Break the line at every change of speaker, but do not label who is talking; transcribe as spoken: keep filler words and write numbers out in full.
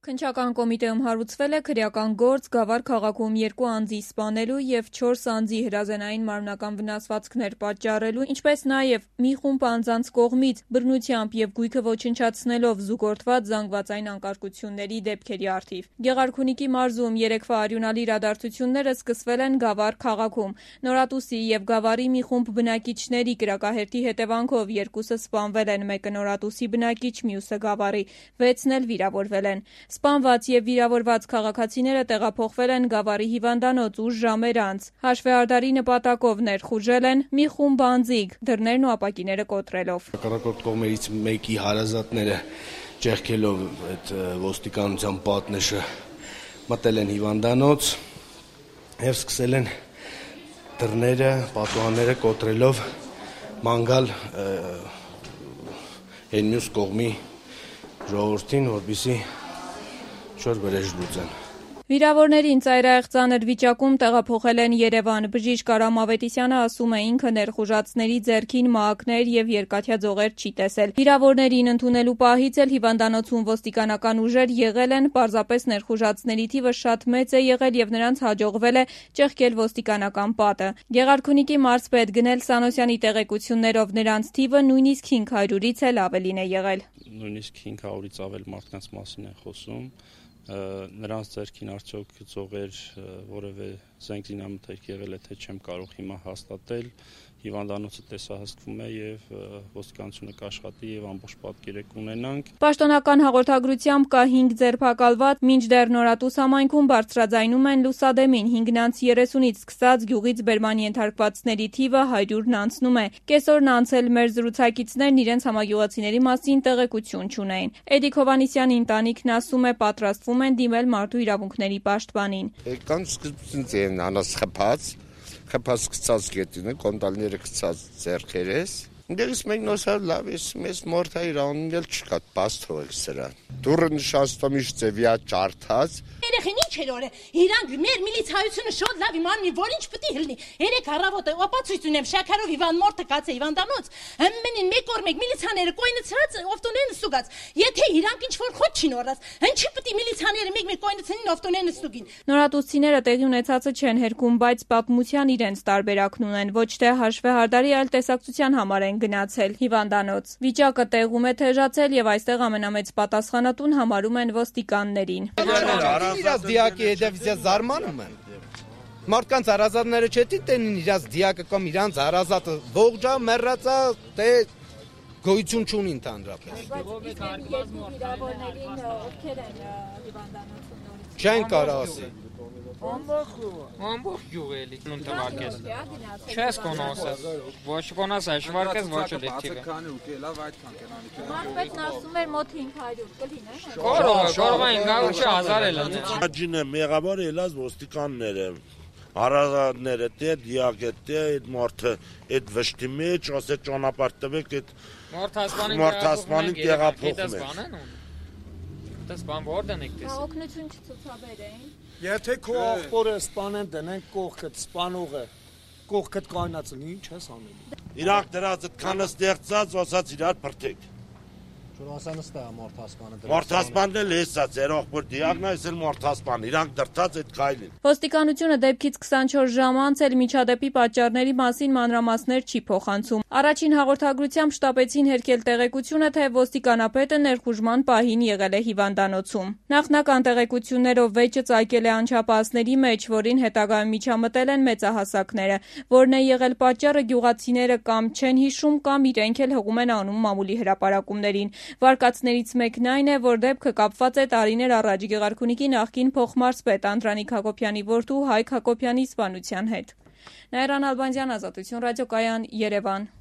Քննչական կոմիտեում հարուցվել է քրեական գործ Գավառ քաղաքում երկու անձի սպանելու և չորս անձի հրազենային մարմնական վնասվածքներ պատճառելու, ինչպես նաև մի խումբ անձանց կողմից բռնությամբ և գույքը ոչնչացնելով զուգորդված զանգվածային անկարգությունների դեպքերի առթիվ։ Գեղարքունիքի մարզում երեկվա արյունալի իրադարձությունները սկսվել են Գավառ քաղաքում։ Նորատուսի և Գավառի մի խումբ բնակիչների կրակահերթի հետևանքով երկուսը սպանվել են, մեկը Նորատուսի բնակիչ, մյուսը Գավառի, վեցն էլ վիրավորվել են։ Սպանված և վիրավորված քաղաքացիները տեղափոխվել են Գավառի հիվանդանոց ուշ ժամեր անց։ Հաշվեհարդարի նպատակով ներխուժել են մի խումբ անձիկ, դռներն ու ապակիները կոտրելով։
Հակառակորդ կողմերից մեկի հարազատները ճեղքելով այդ ոստիկանության պատնեշը մտել են հիվանդանոց և սկսել են դռները, պատուհանները կոտրելով ման գալ այն մյուս կողմի ժողովրդին, որպեսզի չոր վրեժ լուծեն։
Վիրավորներին ծայրահեղ ծանր վիճակում տեղափոխել են Երևան։ Բժիշկ Արամ Ավետիսյանը ասում է, ինքը ներխուժածների ձեռքին մահակներ և երկաթյա ձողեր չի տեսել։ Վիրավորներին ընդունելու պահից էլ հիվանդանոցում ոստիկանական ուժեր եղել են, պարզապես ներխուժածների թիվը շատ մեծ է եղել և նրանց հաջողվել է ճեղքել ոստիկանական պատը։ Գեղարքունիքի մարզպետ Գնել Սանոսյանի տեղեկություններով նրանց թիվը նույնիսկ հինգ հարյուրից էլ ավելին է եղել։
Նույնիսկ հինգ հարյուրից ավել մարդկանց մասին է խոսում։ Նրանց ձեռքին արդյոք ձողեր, որևէ զենք զինամթերք եղել է, թե չեմ կարող հիմա հաստատել։ Հիվանդանոցը տեսահսկվում է և ոստիկանությունը կաշխատի և ամբողջ պատկերը կունենանք։
Պաշտոնական հաղորդագրությամբ կա հինգ ձերբակալված, մինչդեռ Նորատուս համայնքում բարձրաձայնում են լուսադեմին։ հինգնանց երեսունից սկսած գյուղից բերման ենթարկվածների թիվը հարյուրն անցնում է։ Կեսօրն անց էլ մեր զրուցակիցներն իրենց համագյուղացիների մասին տեղեկություն չունեին։ Էդիկ Հովհաննիսյանի ընտանիքն ասում է, պատրաստվում են դիմել մարդու իրավունքների պաշտպանին։
Եկան սկզբից են անաս խփած, խփած գցած գետինը, կոնդալները գցած ձեռքերես։ Դերս մենք նոսար լավ ես, մեզ մորթա իրանն էլ չկա, բաց թողել սրան։ Դուրը նշաստում իշտ ձևյա ճարդած։
Երեխին ինչ էր օրը, իրանք մեր միլիցայությունը շոտ լավ իմանում, որ ինչ պտի հլնի։ Երեք առավոտը ապացույց ունեմ, շաքարով հիվանդ մորթը կացե հիվանդանոց, ամենին մեկ օր մեկ միլիցաները կոյնացրած օվտոնեն ստուգած։ Եթե իրանք ինչ որ խոտ չին օրած, ինչի պտի միլիցաները մեկ մեկ կոյնացնին օվտոնեն ստուգին։
Նորատուսցիները տեղի ունեցածը չեն հերքում, բայց պատմության իրենց տարբերակն ունեն, ոչ թե հաշվեհարդարի, այլ տեսակցության համար են գնացել հիվանդանոց։ Վիճակը տեղում է թեժացել և այստեղ ամենամեծ պատասխանատուն համարում են ոստիկաններին։
Իրաց դիակի հետևից զարմանում են։ Մարդկանց հարազատները չետի տենին իրաց դիակը կամ իրանց հարազատը ողջա, մեռածա, թե գոյություն չունի ընդհանրապես։ Չեն կարող ասել։
Ամբողջ գյուղելի նույնտվարկես։ Չես կոնոսես։ Ոչ կոնոսես, շվարկես ոչ դեպքիվը։
Մարզպետն ասում էր մոտ հինգ հարյուր կլինի։
Կարող, կարող է հինգ հարյուր հազար էլ լինի։
Աջինը մեղավոր ելած ոստիկանները, հարազատները, թե դիակը, թե այդ մարդը, այդ վշտի մեջ, ասե ճանապարհ տվեք այդ մարդասպանին տեղափոխում են։
Դες բան որտեն եք տեսել։
Օգնություն չցուցաբերեին։
Եթե քո աղբորը սպանեն դնեն կողքդ սպանողը, կողքդ կայնացնի, ինչ ես անելու։
Իրանք դրած այդքանը ստեղծած, ասած իրար բրդեք։
Շուրասանստա մորթասպանը դրած։
Մորթասպանն էլ էսա, ձեր աղբոր դիակն է, էս էլ մորթասպան, իրանք դրած այդ քայլին։
Ոստիկանությունը դեպքից քսանչորս ժամ անց էլ միջադեպի պատճառների մասին մանրամասներ չի փոխանցում։ Առաջին հաղորդագրությամբ շտապեցին հերկել տեղեկությունը, թե ոստիկանապետը ներխուժման պահին եղել է հիվանդանոցում։ Նախնական տեղեկություններով վեճը ծագել է անչափահասների մեջ, որին հետագայում միջամտել են մեծահասակները։ Որն է եղել պատճառը, գյուղացիները կամ չեն հիշում, կամ իրենք էլ հղում են անում մամուլի հրապարակումներին։ Վարկածներից մեկն այն է, որ դեպքը կապված է տարիներ առաջ Գեղարքունիքի նախկին փոխմարզպետ Անդրանիկ Հակոբյանի որդու Հայկ Հակոբյանի սպանության հետ։ Նաիրա Նալբանդյան, Ազատություն ռադիոկայան, Երևան։